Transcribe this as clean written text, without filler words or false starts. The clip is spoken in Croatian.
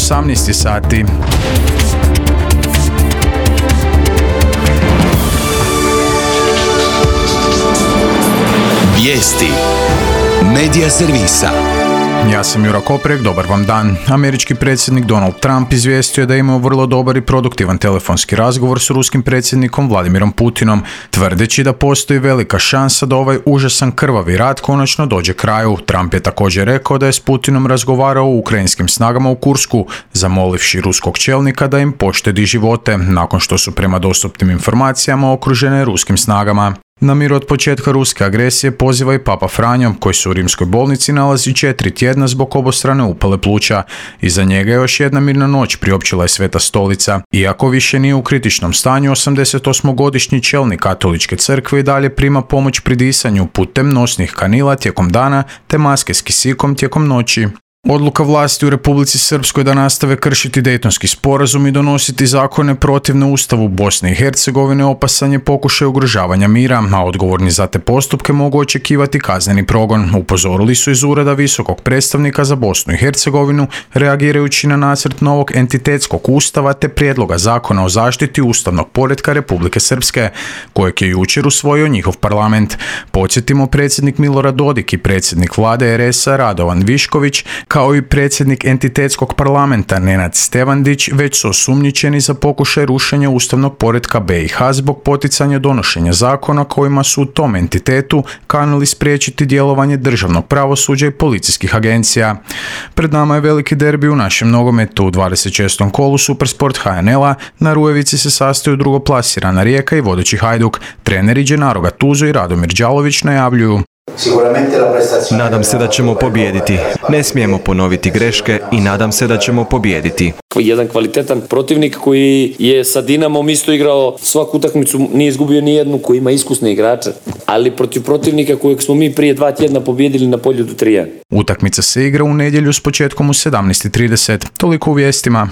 18 sati. Vijesti Medija servisa. Ja sam Jura Koprek, dobar vam dan. Američki predsjednik Donald Trump izvijestio da je imao vrlo dobar i produktivan telefonski razgovor s ruskim predsjednikom Vladimirom Putinom, tvrdeći da postoji velika šansa da ovaj užasan krvavi rat konačno dođe kraju. Trump je također rekao da je s Putinom razgovarao o ukrajinskim snagama u Kursku, zamolivši ruskog čelnika da im poštedi živote, nakon što su prema dostupnim informacijama okružene ruskim snagama. Na mir od početka ruske agresije poziva i Papa Franjo, koji se u rimskoj bolnici nalazi 4 tjedna zbog obostrane upale pluća. Iza njega je još jedna mirna noć, priopćila je Sveta Stolica. Iako više nije u kritičnom stanju, 88-godišnji čelnik katoličke crkve i dalje prima pomoć pri disanju putem nosnih kanila tijekom dana te maske s kisikom tijekom noći. Odluka vlasti u Republici Srpskoj da nastave kršiti Dejtonski sporazum i donositi zakone protivne Ustavu Bosne i Hercegovine opasan je pokušaj ugrožavanja mira, a odgovorni za te postupke mogu očekivati kazneni progon, upozorili su iz Ureda visokog predstavnika za Bosnu i Hercegovinu, reagirajući na nacrt novog entitetskog ustava te prijedloga zakona o zaštiti ustavnog poretka Republike Srpske, kojeg je jučer usvojio njihov parlament. Podsjetimo, predsjednik Milorad Dodik i predsjednik vlade RS-a Radovan Višković, kao i predsjednik entitetskog parlamenta Nenad Stevandić, već su osumnjičeni za pokušaj rušenja ustavnog poretka BiH zbog poticanja donošenja zakona kojima su u tom entitetu kanili spriječiti djelovanje državnog pravosuđa i policijskih agencija. Pred nama je veliki derbi u našem nogometu. U 26. kolu Supersport HNL-a na Rujevici se sastaju drugoplasirana Rijeka i vodeći Hajduk. Treneri Gennaro Gattuso i Radomir Đalović najavljuju: Nadam se da ćemo pobijediti. Ne smijemo ponoviti greške i nadam se da ćemo pobijediti. Jedan kvalitetan protivnik koji je sa Dinamom isto igrao svaku utakmicu, nije izgubio ni jednu, koji ima iskusne igrače, ali protiv protivnika kojeg smo mi prije 2 tjedna pobijedili na Poljudu 3-1. Utakmica se igra u nedjelju s početkom u 17:30. Toliko u vijestima.